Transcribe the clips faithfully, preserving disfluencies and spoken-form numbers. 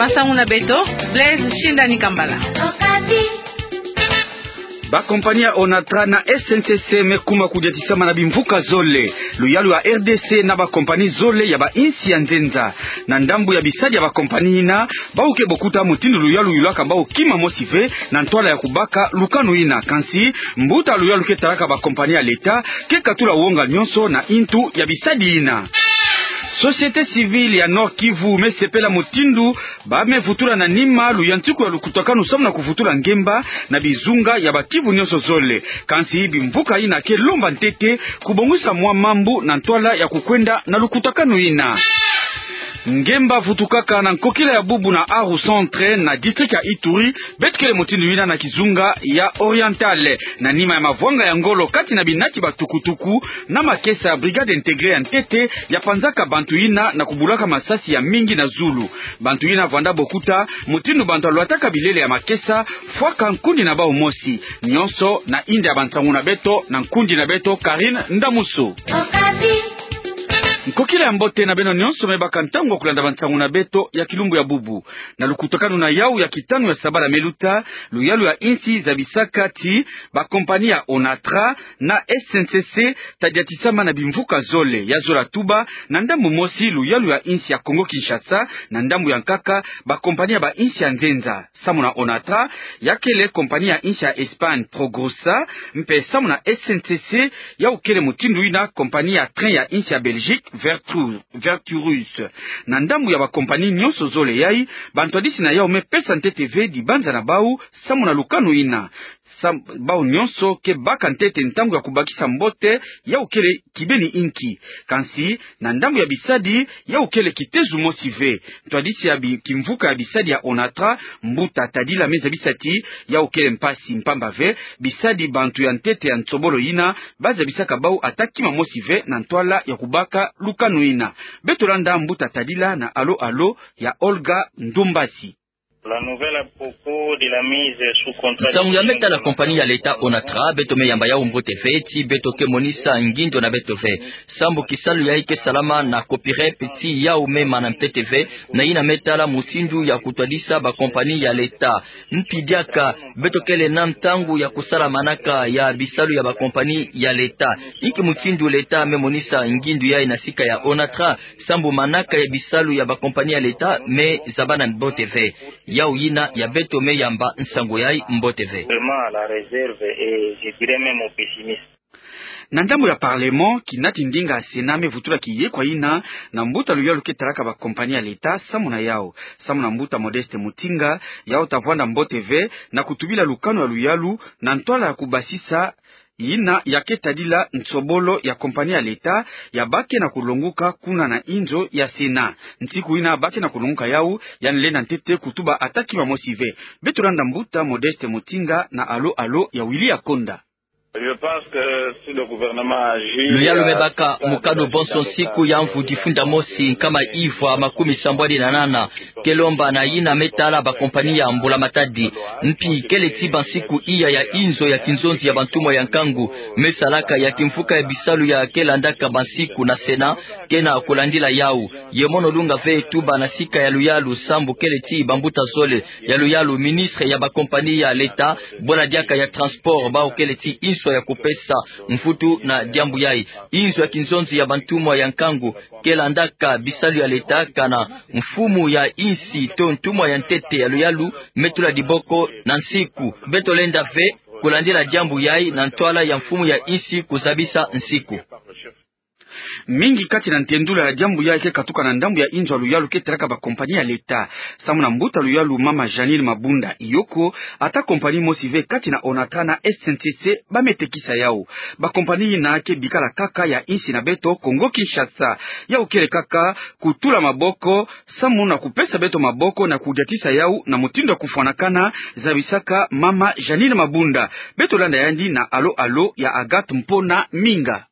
Nsangu na beto, Blaise Shindani Kambala. Ba compagnie ya Onatra na S N C C me kuma kudiatisama na bimvuka zole. Luyalu ya R D C na ba compagnie zole ya ba insi ya nzenza. Na ndambu ya bisadi ya ba compagnie yina, bau ke bokuta mutindu luyalu yulaka bau kima mosi ve na ntwala ya kubaka lukanu yina. Kansi, mbuta luyalu ke talaka ba compagnie ya l'État ke katula wonga nyonso na intu ya bisadi yina. Société civile ya Nord-Kivu me sepela mutindu ba me vutula na nima luyantiku ya lukutakanu samu na kuvutula ngemba na bizunga ya ba Kivu nyonso zole. Kansi bimvuka yina ke lomba ntete kubongisa mwa mambu na ntwala ya kukwenda na lukutakanu yina. Ngemba vutukaka na nkokila ya bubu na Aru Centre na district ya Ituri, beto kele mutindu yina na kizunga ya Oriental. Na nima ya mavwanga ya ngolo kati na binati ba tukutuku na makesa, brigade intégrée ya ntete ya panzaka bantu yina na kubulaka masasi ya mingi na zulu. Bantu yina vwanda bokuta mutindu bantu ya lwataka bilele ya makesa fwaka nkundi na bau mosi. Nyonso na inda ya bansangu na beto na nkundi na beto Karine Ndamuso. Nkokila ya mbote na beno nyonso me baka ntangu ya kulanda bansangu na beto ya kilumbu ya bubu. Na lukutakanu na yau ya kitanu ya sabala me luta, luyalu ya insi zabisaka ti ba compagnie ya Onatra na S N C C ta diatisama na bimvuka zole. Ya zola tuba, na ndambu mosi luyalu ya insi ya Congo-Kinshasa, na ndambu ya nkaka ba compagnie ya ba insi ya nzenza. Samu na Onatra, ya kele compagnie ya insi ya Espagne Progrosa, mpe samu na S N C C, yau kele mutindu yina compagnie ya train ya insi ya Belgique Vertu-, Verturus. Na ndambu ya ba compagnie nyonso zole yai, bantu ya disi na yau me pesa ntete ve dibanza na bau samu na lukanu yina. Sam-, bau nyonso ke baka ntete ntangu ya kubakisa mbote, yau kele kibeni inki. Kansi, na ndambu ya bisadi, yau kele kitezu mosi ve. Ntu ya disi ya bi-, kimvuka ya bisadi ya Onatra, mbuta Tadila me zabisa ti, yau kele mpasi mpamba ve, bisadi bantu ya ntete ya nsobolo yina, ba zabisaka bau ata kima mosi ve na ntwala ya kubaka lukanu yina. Beto landa mbuta Tadila na alo-alo ya Olga Ndumbasi. La nouvelle à propos de la mise sous contrat. Nsangu ya me tala compagnie ya l'État Onatra, beto me yamba yau mbote ve, ti beto ke monisa ngindo na beto ve. Sambu kisalu yai ke salama na Coperep ti yau me mana ntete ve, na yina me tala mutindu ya kutwadisa ba compagnie ya l'État. Mpi diaka, beto kele na ntangu ya kusala manaka ya bisalu ya ba compagnie ya l'État. Inki mutindu l'État me monisa ngindu yai na sika ya Onatra, sambu manaka ya bisalu ya ba compagnie ya l'État me zabana mbote ve. Yau yina ya beto me yamba nsangu yai mbote ve. Vraiment à la réserve et je dirais même au pessimiste. Na ndambu ya Parlement, kinati ndinga ya Sénat me vutula kiyekwa yina na mbuta luyalu ke talaka ba compagnie ya l'État, samu na yau. Samu na mbuta Modeste Mutinga, yau ta vwanda mbote ve na kutubila lukanu ya luyalu na ntwala ya kubasisa yina ya ke tadila nsobolo ya compagnie ya l'État ya ba ke na kulonguka kuna na inzo ya Sénat. Nsiku yina ba ke na kulonguka yau, yandi lenda ntete kutuba ata kima mosi ve. Beto landa mbuta Modeste Mutinga na alo-alo ya Willy Akonda. Je pense que si le gouvernement agit, luyalu me baka mukanu bonso nsiku ya mvu difunda mosi nkama ivwa makumi sambwadi na nana, ke lomba na yina me tala ba compagnie ya mbula-matadi. Mpi kele ti bansiku iya ya inzo ya kinzonzi ya bantumwa ya nkangu me salaka ya kimvuka ya bisalu ya ke landaka bansiku na Sénat, ke na kulandila yau. Ye mono lunga ve tuba na sika ya luyalu sambu kele ti bambuta zole ya luyalu ministre ya ba compagnie ya l'État, bwela diaka ya transport, bau kele ti inswa ya kupesa mvutu na diambu yai. Inzo ya kinzonzi ya bantumwa ya nkangu ke landaka bisalu ya l'État kana mfumu ya insi to ntumwa ya ntete ya luyalu me tula diboko na nsiku. Beto lenda ve kulandila diambu yai na ntwala ya mfumu ya insi kuzabisa nsiku. Mingi kati na ntendula ya diambu yai ke katuka na ndambu ya inzo ya luyalu ke talaka ba compagnie ya l'État. Samu na mbuta luyalu mama Jeanine Mabunda, yoko ata compagnie mosi ve kati na Onatra na S N C C ba me tekisa yau. Ba compagnie yina ke bikala kaka ya insi na beto Congo-Kinshasa. Yau kele kaka kutula maboko, samu na kupesa beto maboko na kudiatisa yau na mutindu ya kufwanakana, zabisaka mama Jeanine Mabunda. Beto landa yandi na alo-alo ya Agathe Mpona Minga.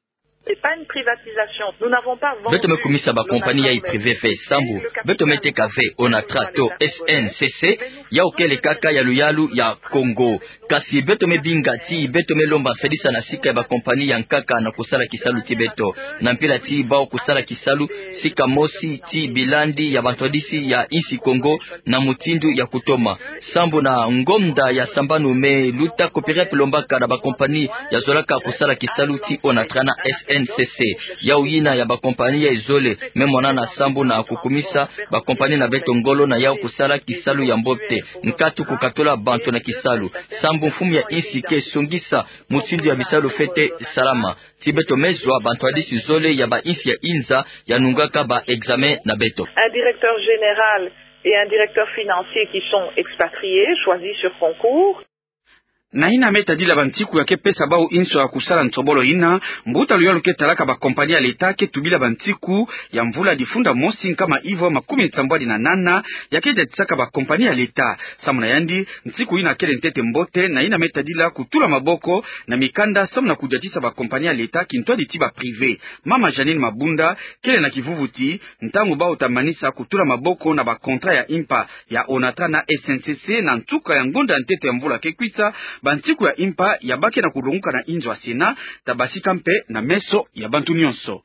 C'est pas une privatisation. Nous n'avons pas vendu. Beto me kumisa ba compagnie yai privé ve, sambu beto me teka ve Onatra to S N C C, yau kele kaka ya luyalu ya Congo. Kasi beto me binga ti beto me lomba nsadisa na sika ya ba compagnie ya nkaka na kusala kisalu ti beto. Na mpila ti bau kusala kisalu, sika mosi ti bilandi ya bantu adisi ya insi Kongo na mutindu ya kutoma. Sambu na ngonda ya sambanu me luta Coperep lombaka na ba compagnie ya zolaka kusala kisalu ti Onatra na S N C C. Yau yina ya ba compagnie ya izole me monana sambu na kukumisa ba compagnie na beto ngolo na yau kusala kisalu ya mbote. Nkatu kukatula bantu na kisalu. Sambu mfumu ya insi ke songisa mutindu ya bisalu fwete salama. Ti beto me zwa bantu adisi zole ya ba insi ya inza ya nungaka ba examen na beto. Un directeur général et un directeur financier qui sont expatriés, choisis sur concours. Na yina me tadila bantiku ya ke pesa bau inso ya kusala nsobolo yina, mbuta luyalu ke talaka ba compagnie ya leta ke tubila bantiku ya mvula difunda mosi nkama ivwa makumi nsambwadi na nana ya ke datisaka ba compagnie ya leta. Samu na yandi, ntiku yina kele ntete mbote, na yina me tadila kutula maboko na mikanda samu na kudiatisa ba compagnie ya leta kintwadi ti ba privé. Mama Jeanine Mabunda kele na kivuvu ti, ntangu bau ta manisa kutula maboko na ba contrat ya impa ya Onatra na S N C C na nsuka ya ngonda ya ntete ya mvula ke kwisa, bantiku ya impa ya ba ke na kulonguka na inzo ya Sénat ta basika mpe na meso ya bantu nyonso.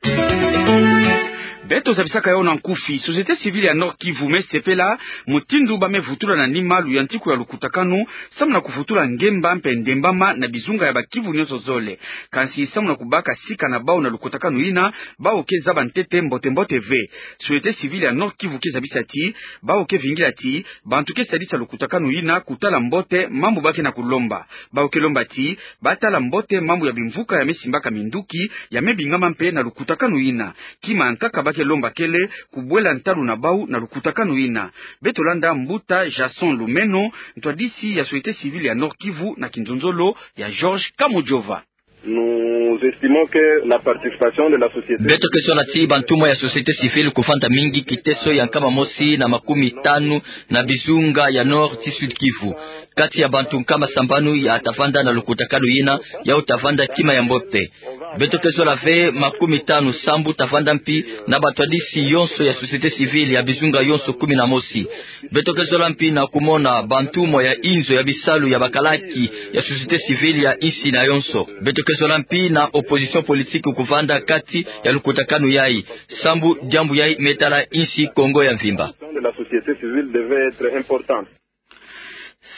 Beto zabisaka yau na nkufi, société civile ya Nord-Kivu me sepela mutindu ba me vutula na nima luyantiku ya lukutakanu samu na kuvutula ngemba mpe ndembama na bizunga ya ba Kivu nyonso zole. Kansi samu na kubaka sika na bau na lukutakanu yina, bau ke zaba ntete mbote-mbote ve. Société civile ya Nord-Kivu ke zabisa ti, bau ke vingila ti bantu ke sadisa lukutakanu yina kutala mbote mambu ba ke na kulomba. Bau ke lomba ti ba tala mbote mambu ya bimvuka ya me simbaka minduki, ya me bingama mpe na lukutakanu yina. Kima ya nkaka ba ke lomba kele kubwela ntalu na bau na lukutakanu yina. Beto landa mbuta Jason Lumeno, ntwadisi ya société civile ya Nord-Kivu na kinzonzolo ya Georges Kamujova. Nous estimons que la participation de la société... Beto ke zona ti bantumwa ya société civile kuvanda mingi kiteso ya nkama mosi na makumi tanu na bizunga ya Nord ti Sud-Kivu. Kati ya bantu nkama sambanu ya ta vanda na lukutakanu yina, yau ta vanda kima ya mbote. Beto ke zola ve makumi tanu sambu ta vanda mpi na batwadisi yonso ya société civile ya bizunga yonso kumi na mosi. Beto ke zola mpi na kumona bantumwa ya inzo ya bisalu ya bakalaki ya société civile ya insi na yonso. Beto ke zola mpi na opposition politique kuvanda kati ya lukutakanu yai, sambu diambu yai me tala insi Kongo ya mvimba. De la société civile devait être importante.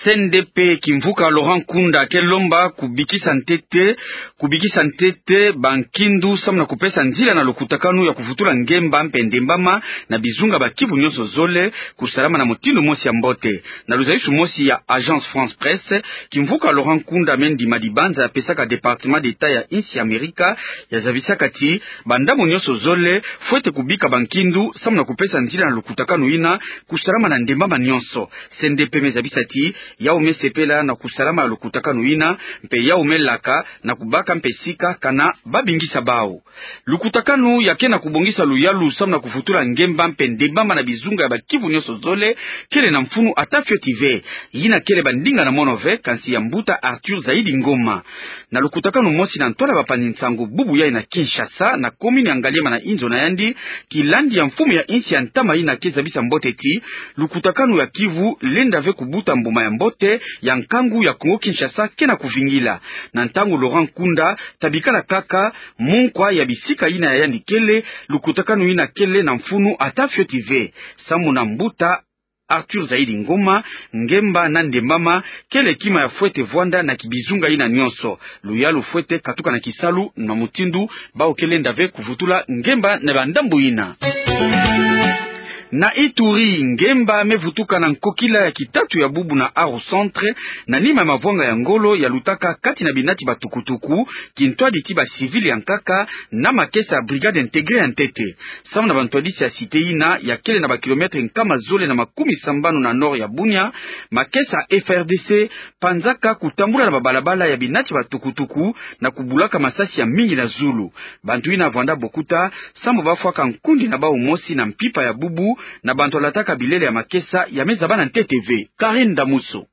C N D P kimvuka Laurent Nkunda ke lomba kubikisa ntete, kubikisa ntete bankindu samu na kupesa nzila na lukutakanu ya kuvutula ngemba mpe ndembama na bizunga ba Kivu nyonso zole kusalama na mutindu mosi ya mbote. Na luzayisu mosi ya Agence France Presse, kimvuka Laurent Nkunda me ndima dibanza ya pesaka Département d'État ya insi ya Amerika, ya zabisaka ti bandambu nyonso zole fwete kubika bankindu samu na kupesa nzila na lukutakanu yina kusalama na ndembama nyonso. C N D P me zabisa ti yau me sepela na kusalama na lukutakanu yina, mpe yau me laka na kubaka mpe sika kana ba bingisa bau. Lukutakanu ya ke na kubongisa luyalu samu na kuvutula ngemba mpe ndembama na bizunga ya ba Kivu nyonso zole kele na mfunu ata fioti ve. Yina kele ba ndinga na mono ve, kansi ya mbuta Arthur Zaidi Ngoma. Na lukutakanu mosi na ntwala bapanzi nsangu bubu yai na Kinshasa, na commune ya Ngaliema na inzo na yandi, kilandi ya mfumu ya insi ya ntama yina ke zabisa mbote ti lukutakanu ya Kivu lenda ve kubuta mbuma ya mbote ya nkangu ya Congo Kinshasa ke na kuvingila. Na ntangu Laurent Nkunda ta bikala kaka munkwa ya bisika yina ya yandi kele, lukutakanu yina kele na mfunu ata fioti ve. Samu na mbuta Arthur Zaidi Ngoma, ngemba na ndembama kele kima ya fwete vwanda na kibizunga yina nyonso. Luyalu fwete katuka na kisalu na mutindu bau ke lenda ve kuvutula ngemba na bandambu yina. Na Ituri, ngemba me vutuka na nkokila ya kitatu ya bubu na Aru Centre, na nima ya mavwanga ya ngolo ya lutaka kati na binati batukutuku, kintwadi ti ba civil ya nkaka, na makesa ya Brigade Intégrée ya ntete. Samu na bantwadisi ya cité yina ya kele na ba kilomètre nkama zole na makumi sambanu na nord ya Bunia, makesa F R D C panzaka kutambula na babalabala ya binati batukutuku na kubulaka masasi ya mingi na zulu. Bantu yina vwanda bokuta, samu bafwaka nkundi na bau mosi na mpimpa ya bubu, na bantu balataka bilele ya makesa ya me zabana ntete ve. Karine Damuso.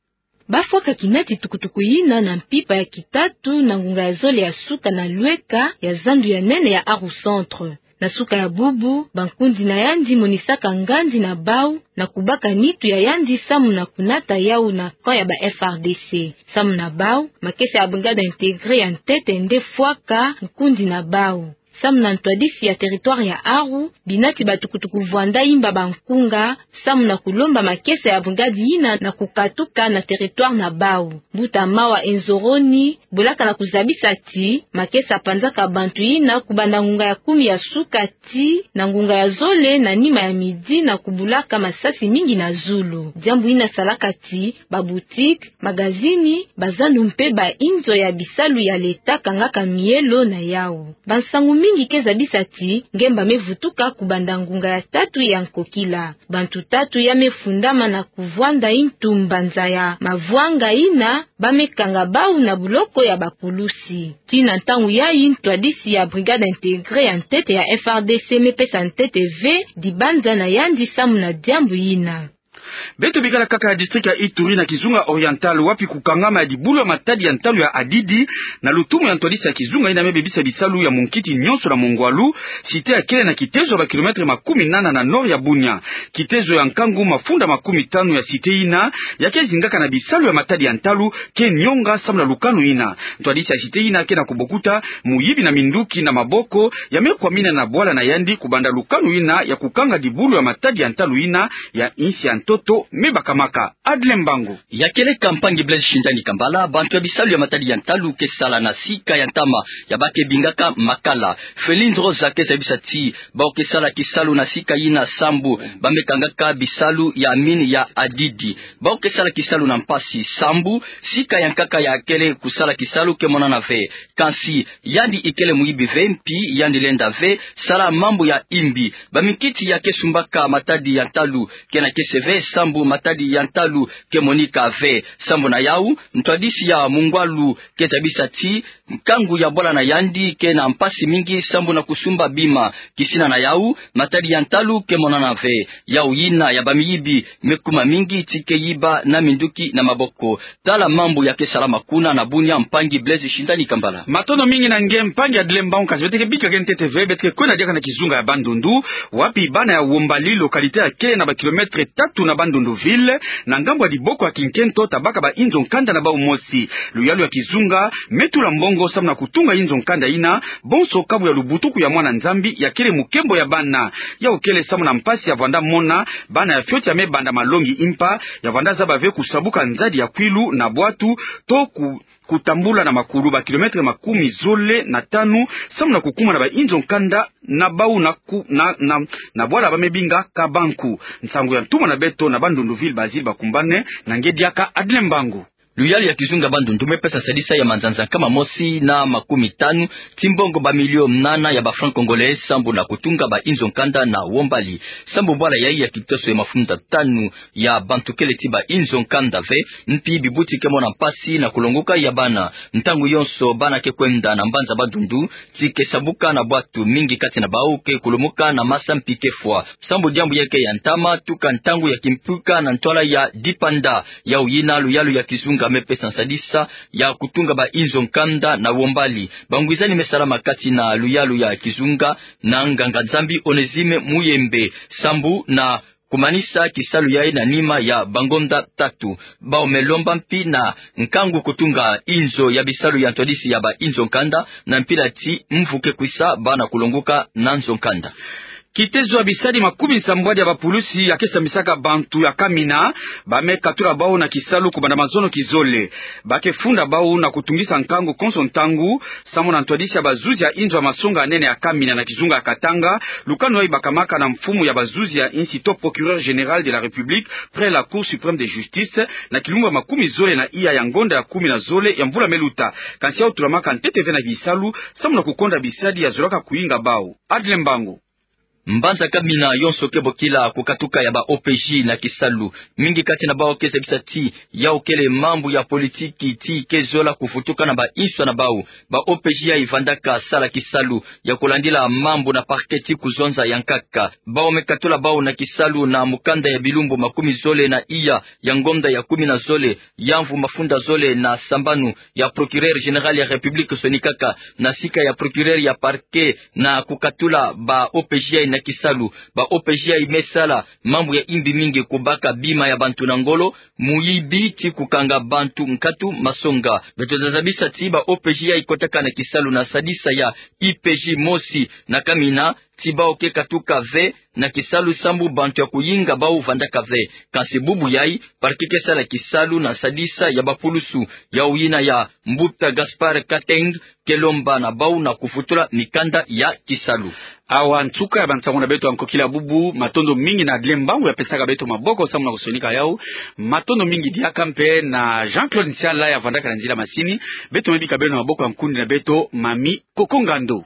Bafwaka kinati tukutuku yina na mpimpa ya kitatu na ngunga ya zole ya suka na lweka ya zandu ya nene ya Aru Centre. Na suka ya bubu, bankundi na yandi monisaka ngandi na bau na kubaka nitu ya yandi samu na kunata yau na camp ya ba F R D C. Samu na bau, makesa ya brigade intégrée ya ntete nde fwaka nkundi na bau. Samu na ntwadisi ya territoire ya Aru, binati batukutuku vwanda imba bankunga samu na kulomba makesa ya brigade yina na kukatuka na territoire na bau. Mbuta Mawa Enzoroni bolaka na kuzabisa ti makesa panzaka bantu yina kubanda ngunga ya kumi ya suka ti na ngunga ya zole na nima ya midi na kubulaka masasi mingi na zulu. Diambu yina salaka ti ba boutique, magazini, bazandu mpe ba inzo ya bisalu ya leta kangaka mielo na yau. Bansangu mingi ke zabisa ti ngemba me vutuka kubanda ngunga ya tatu ya nkokila. Bantu tatu ya me fundama na kuvwanda intu mbanza ya mavwanga yina ba me kanga bau na buloko ya bapulusi. Tii na ntangu yayi ntwadisi ya brigade intégrée ya ntete ya F R D C me pesa ntete ve dibanza na yandi samu na diambu yina. Beto bikala kaka ya district ya Ituri na kizunga oriental, wapi kukangama ya dibulu ya matadi ya ntalu ya Hadidi na lutumu ya ntwadisi ya kizunga yina me bebisa bisalu ya munkiti nyonso na mungwalu, cité ya kele na kitezo ya ba kilomètre makumi nana na nord ya Bunia. Kitezo ya nkangu mafunda makumi tanu ya cité yina ya ke zingaka na bisalu ya matadi ya ntalu ke nyonga samu na lukanu yina. Ntwadisi ya cité yina ke na kubokuta muyibi na minduki na maboko ya me kwamina na bwala na yandi kubanda lukanu yina ya kukanga dibulu ya matadi ya ntalu yina ya insi ya ntoto me bakamaka. Adle Mbango. Ya keleka mpangi Blaise Shindani Kambala, bantu ya bisalu ya matadi ya ntalu ke sala na sika ya ntama ya ba ke bingaka Makala. Felindre Rosa ke zabisa ti bau ke sala kisalu na sika yina sambu ba me kangaka bisalu ya mine ya Hadidi. Bau ke sala kisalu na mpasi sambu sika ya nkaka ya kele kusala kisalu ke monana ve. Kansi yandi ikele muyibi ve mpi yandi lenda ve sala mambu ya imbi. Baminkiti ya ke sumbaka matadi ya ntalu ke na kese ve sambu matadi ya ntalu ke monika ve. Sambu na yau, ntwadisi ya mungwalu ke zabisa ti nkangu ya bwala na yandi ke na mpasi mingi sambu na kusumba bima. Kisina na yau, matadi ya ntalu ke monana ve. Yau yina ya bamiyibi me kuma mingi ti ke yiba na minduki na maboko. Tala mambu ya ke salama kuna na Bunia, mpangi Blaise Shindani Kambala. Matondo mingi na nge mpangi Adle Mbango, kansi beto ke bika nge ntete ve, beto ke kwenda diaka na kizunga ya Bandundu, wapi bana ya Wombali, localité ya kele na ba kilomètre tatu na Bandundu ville, na ngambu ya diboko ya kinkento, tabaka ba inzo nkanda na bau mosi. Luyalu ya kizunga me tula mbongo samu na kutunga inzo nkanda yina, bonso kabu ya lubutuku ya mwana Nzambi ya kele mukembo ya bana. Yau kele samu na mpasi ya vwanda mona bana ya fioti ya me banda malongi mpa ya vwanda zaba ve kusabuka nzadi ya kwilu na bwatu, to ku-, kutambula na makulu ba kilomètre makumi zole na tanu, samu na kukuma na ba inzo nkanda na bau na ku-, na, na, na bwala ba me binga Kabanku. Nsangu ya ntumwa na beto na Bandundu ville, Bazile Bakumbane, na nge diaka Adle Mbango. Luyalu ya kizunga Bandundu me pesa sadisa ya manzanza nkama mosi na makumi tanu ti mbongo ba milio nana ya ba francs congolais sambu na kutunga ba inzo nkanda na Wombali. Sambu bwala yayi ya kitoso ya mafunda tanu ya bantu kele ti ba inzo nkanda ve, mpi bibuti ke mona mpasi na kulongoka ya bana. Ntangu yonso bana ke kwenda na mbanza Bandundu, ti ke sabuka na bwatu, mingi kati na bau ke kulumuka na masa mpi ke fwa. Sambu diambu ya ke ya ntama tuka ntangu ya kimpuka na ntwala ya Dipanda. Yau yina luyalu ya kizunga me pesa sadisa ya kutunga ba inzo nkanda na Wombali. Bangwizani me salama kati na luyalu ya kizunga na nganga-Nzambi Onésime Muyembe, sambu na kumanisa kisalu yayi na nima ya bangonda tatu. Bau me lomba mpi na nkangu kutunga inzo ya bisalu ya ntwadisi ya ba inzo nkanda, na mpila ti mvu ke kwisa bana kulongoka na nzo nkanda. Kitezo ya bisadi makumi nsambwadi ya bapulusi ya ke sambisaka bantu ya Kamina, ba me katula bau na kisalu kubanda mazono kizole. Ba ke funda bau na kutungisa nkangu konso ntangu, samu na ntwadisi ya bazuzi ya inzo ya masonga ya nene ya Kamina na kizunga ya Katanga, lukanu yayi bakamaka na mfumu ya bazuzi ya insi to procureur général de la République, près la Cour suprême de justice, na kilumbu ya makumi zole na iya ya ngonda ya kumi na zole ya mvula me luta. Kansi yau tulamaka ntete ve na bisalu, samu na kukonda bisadi ya zolaka kuinga bau. Adle Mbango. Mbanza Kamina yonso ke bokila kukatuka ya ba O P J na kisalu. Mingi kati na bawu ke zabisa ti yawu kele mambu ya politiki ti ke zola kufutuka na banswa na bawu. Ba O P J yayi vandaka sala kisalu ya kulandila mambu na parquet ti kuzonza ya nkaka. Bawu me katula bawu na kisalu na mukanda ya bilumbu makumi zole na iya ya ngonda ya kumi na zole, ya mvu mafunda zole na sambanu, ya procureur général ya République sonikaka na sika ya procureur ya parquet na kukatula ba O P J yayi na kisalu. Ba O P J yayi me sala mambu ya imbi mingi: kubaka bima ya bantu na ngolo, muyibi, ti kukanga bantu nkatu, masonga. Beto ta zabisa ti ba O P J yayi kotaka na kisalu na sadisa ya I P J mosi na Kamina, ti bawu ke katuka ve na kisalu sambu bantu ya kuyinga bawu vandaka ve. Kansi bubu yayi, parquet ke sala kisalu na sadisa ya bapulusu, yawu yina ya Mbuta Gaspard Kateng ke lomba na bawu na kufutula mikanda ya kisalu. Awa nsuka ya bansangu na beto ya nkokila bubu. Matondo mingi na dilembo ya pesaka beto maboko sambu na kusonika yawu. Matondo mingi diaka mpe na Jean-Claude Nsiala ya vandaka na nzila masini. Beto me bika beno na maboko ya nkundi na beto, Mami Koko Ngando.